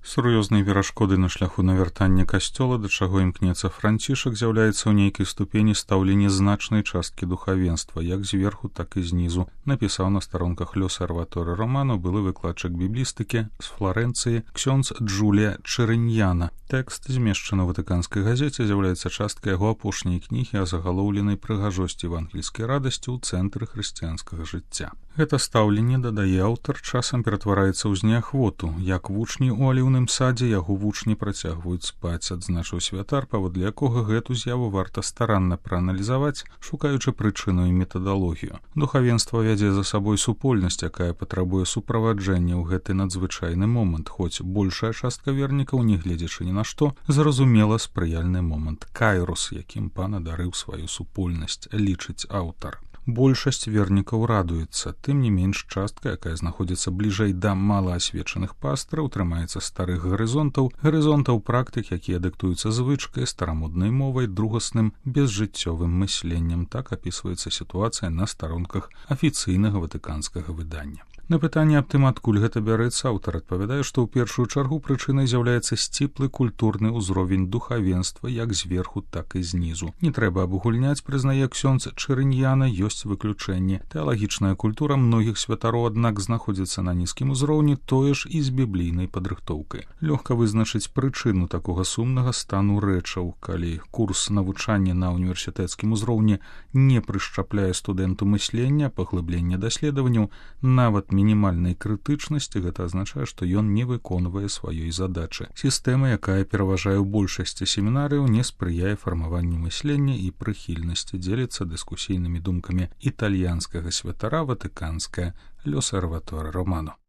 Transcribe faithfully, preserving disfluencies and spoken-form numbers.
Сур'ёзнай перашкодай на шляху навяртання касцёла, да чаго імкнецца Францішак, з'яўляецца ў нейкай ступені стаўленне значнай часткі духавенства, як зверху, так і знізу, напісаў на старонках L'Osservatore Romano былы выкладчык біблістыкі з Фларэнцыі ксёндз Джулія Чэрыньяна. Тэкст, змешчаны ў ватыканскай газеце, з'яўляецца часткай яго апошняй кнігі о загалоўленай прыгажосці евангельскай радасці ў цэнтры хрысціянскага жыцця. Гэта стаўленне, дадае аўтар, часам ператвараецца ў зняхвоту. Як вучні ў аліўным садзе, яго вучні працягваюць спаць, адзначыў святар, паводле якога гэту з'яву варта старанна прааналізаваць, шукаючы прычыну і метадалогію. Духавенства вядзе за сабой супольнасць, якая патрабуе суправаджэння ў гэты надзвычайны момант, хоць большая частка вернікаў, не гледзячы ні на што, зразумела спрыяльны момант кайрос, якім пан адарыў сваю супольнасць, лічыць аўтар. Большасць вернікаў радуецца, тым не менш частка, якая знаходзіцца бліжэй да малаасвечаных пастраў, трымаецца старых гарызонтаў, гарызонтаў практык, якія дыктуюцца звычкай, старамоднай мовай, другасным, безжыццёвым мысленнем. Так апісваецца сітуацыя на старонках афіцыйнага ватыканскага выдання. На пытанне аб тым, адкуль гэта бярэцца, аўтар адпавядае, што ў першую чаргу прычынай з'яўляецца сціплы культурны ўзровень духавенства як зверху, так і знізу. Не трэба абагульняць, прызнае ксёндз Чэрыньяна, ёсць выключэнне. Тэалагічная культура многіх святароў, аднак, знаходзіцца на нізкім узроўні, тое ж і з біблійнай падрыхтоўкай. Лёгка вызначыць прычыну такога сумнага стану рэчаў, калі курс навучання на універсітэцкім узроўні не прышчапляе студэнту мыслення, паглыблення даследаванняў, нават мінімальнай крытычнасці, гэта азначае, што ён не выконвае сваёй задачы. Сістэма, якая пераважае ў большасці семінарыяў, не спрыяе фармаванню мыслення і прыхільнасці, дзеліцца дыскусійнымі думкамі італьянскага святара ватыканская L'Osservatore Romano.